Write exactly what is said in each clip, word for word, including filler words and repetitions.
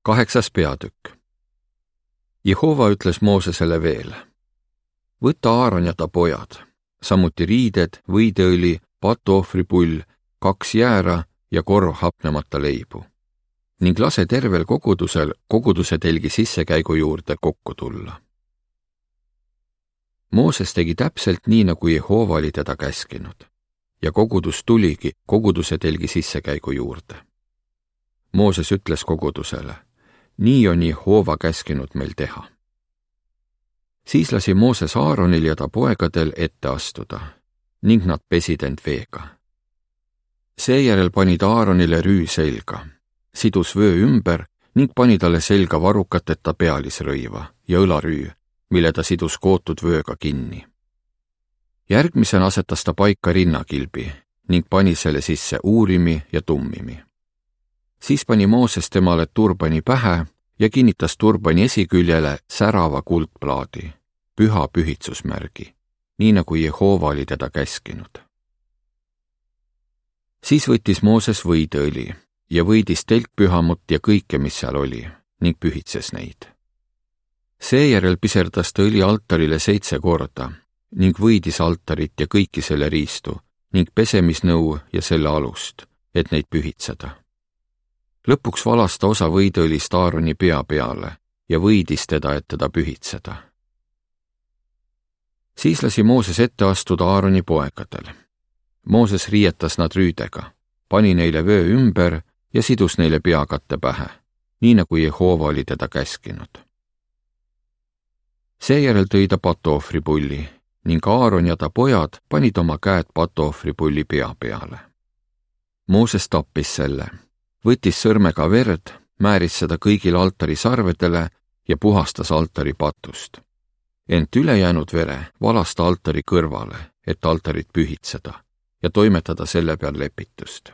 Kaheksas peatükk. Jehova ütles Moosesele veel: võta Aaron ja ta pojad, samuti riided, võideõli, patuohvripull, kaks jäära ja korv hapnemata leibu ning lase tervel kogudusel koguduse telgi sissekäigu juurde kokku tulla. Mooses tegi täpselt nii, nagu Jehova oli teda käskinud ja kogudus tuligi koguduse telgi sissekäigu juurde. Mooses ütles kogudusele: nii on Jehova käskinud meil teha. Siis lasi Mooses Aaronil ja ta poegadel ette astuda ning nad pesid end veega. Seejärel pani ta Aaronile rüü selga, sidus vöö ümber ning pani talle selga varukateta pealisrõiva ja õlarüü, mille ta sidus kootud vööga kinni. Järgmisena asetas ta paika rinnakilbi ning pani selle sisse uurimi ja tummimi. Siis pani Mooses temale turbani pähe ja kinnitas turbani esiküljele särava kuldplaadi, püha pühitsusmärgi, nii nagu Jehova oli teda käskinud. Siis võttis Mooses võideõli ja võidis telkpühamut ja kõike, mis seal oli, ning pühitses neid. Seejärel piserdas ta õli altarile seitse korda ning võidis altarit ja kõiki selle riistu ning pesemisnõu ja selle alust, et neid pühitseda. Lõpuks valas ta osa võideõlist Aaroni pea peale ja võidis teda, et teda pühitseda. Siis lasi Mooses ette astuda Aaroni poegadel. Mooses riietas nad rüüdega, pani neile vöö ümber ja sidus neile peakatte pähe, nii nagu Jehova oli teda käskinud. Seejärel tõi ta patuohvripulli ning Aaron ja ta pojad panid oma käed patuohvripulli pea peale. Mooses tappis selle, võttis sõrmega verd, määris seda kõigil altari sarvedele ja puhastas altari patust. Ent ülejäänud vere valas ta altari kõrvale, et altarit pühitseda ja toimetada selle peal lepitust.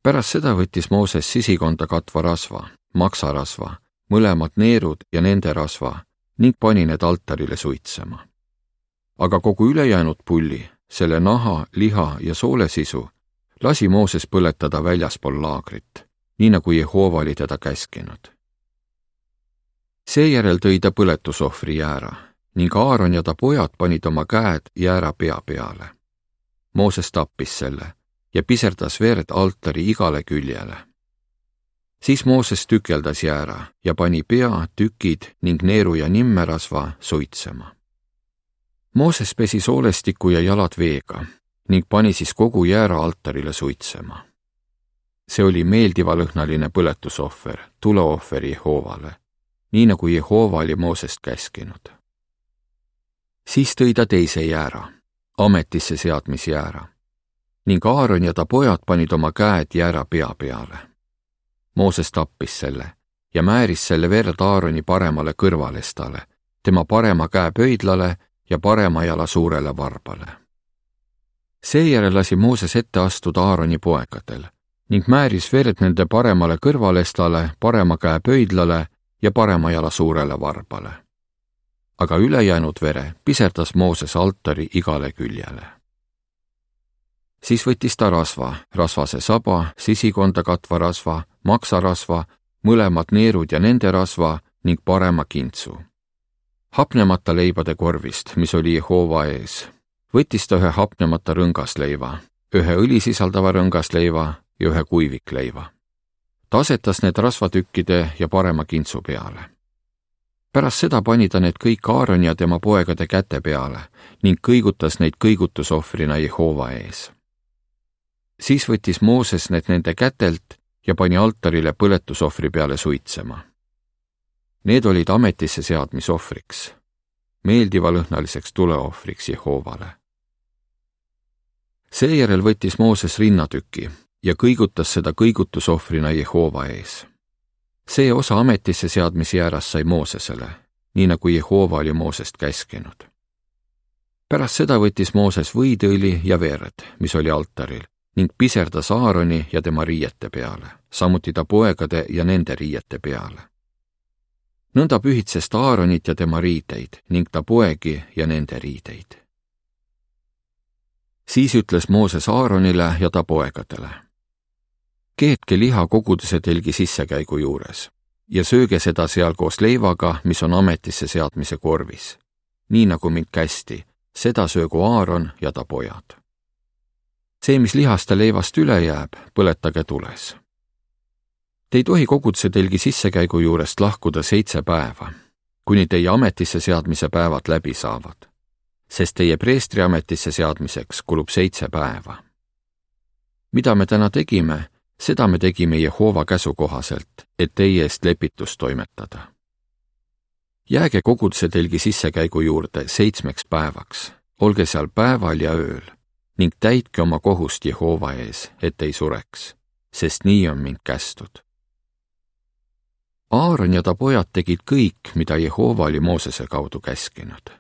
Pärast seda võttis Mooses sisikonda katva rasva, maksarasva, mõlemad neerud ja nende rasva ning pani need altarile suitsema. Aga kogu ülejäänud pulli, selle naha, liha ja soolesisu lasi Mooses põletada väljaspool laagrit, nii nagu Jehova oli teda käskinud. Seejärel tõi ta põletusohvri jäära ning Aaron ja ta pojad panid oma käed jäära pea peale. Mooses tappis selle ja piserdas verd altari igale küljele. Siis Mooses tükeldas jäära ja pani pea, tükid ning neeru ja nimmerasva suitsema. Mooses pesi soolestiku ja jalad veega ning pani siis kogu jäära altarile suitsema. See oli meeldivalõhnaline põletusohver, tuleohver Jehovale, nii nagu Jehova oli Moosest käskinud. Siis tõi ta teise jäära, ametisse seadmisjäära, ning Aaron ja ta pojad panid oma käed jäära pea peale. Mooses tappis selle ja määris selle verd Aaroni paremale kõrvalestale, tema parema käe pöidlale ja parema jala suurele varbale. Seejärel lasi Mooses ette astuda Aaroni poegadel ning määris verd nende paremale kõrvalestale, parema käe pöidlale ja parema jala suurele varbale. Aga ülejäänud vere piserdas Mooses altari igale küljele. Siis võttis ta rasva, rasvase saba, sisikonda katva rasva, maksarasva, mõlemad neerud ja nende rasva ning parema kintsu. Hapnemata leibade korvist, mis oli Jehova ees, võttis ta ühe hapnemata rõngasleiva, ühe õli sisaldava rõngasleiva ja ühe kuivikleiva. Ta asetas need rasvatükkide ja parema kintsu peale. Pärast seda pani ta need kõik Aaroni ja tema poegade käte peale ning kõigutas neid kõigutusohvrina Jehova ees. Siis võttis Mooses need nende kätelt ja pani altarile põletusohvri peale suitsema. Need olid ametisse seadmisohvriks, meeldivalõhnaliseks tuleohvriks Jehovale. Seejärel võttis Mooses rinnatüki ja kõigutas seda kõigutusohvrina Jehova ees. See osa ametisse seadmisjäärast sai Moosesele, nii nagu Jehova oli Moosest käskinud. Pärast seda võttis Mooses võideõli ja verd, mis oli altaril, ning piserdas Aaroni ja tema riiete peale, samuti ta poegade ja nende riiete peale. Nõnda pühitses ta Aaronit ja tema riideid ning ta poegi ja nende riideid. Siis ütles Mooses Aaronile ja ta poegadele: keetke liha koguduse telgi sissekäigu juures ja sööge seda seal koos leivaga, mis on ametisse seadmise korvis. Nii nagu mind kästi, seda söögu Aaron ja ta pojad. See, mis lihast ja leivast üle jääb, põletage tules. Te ei tohi koguduse telgi sissekäigu juurest lahkuda seitse päeva, kuni teie ametisse seadmise päevad läbi saavad, sest teie preestri ametisse seadmiseks kulub seitse päeva. Mida me täna tegime, seda me tegime Jehova käsu kohaselt, et teie eest lepitust toimetada. Jääge koguduse telgi sissekäigu juurde seitsmeks päevaks, olge seal päeval ja ööl ning täitke oma kohust Jehova ees, et ei sureks, sest nii on mind kästud. Aaron ja ta pojad tegid kõik, mida Jehova oli Moosese kaudu käskinud.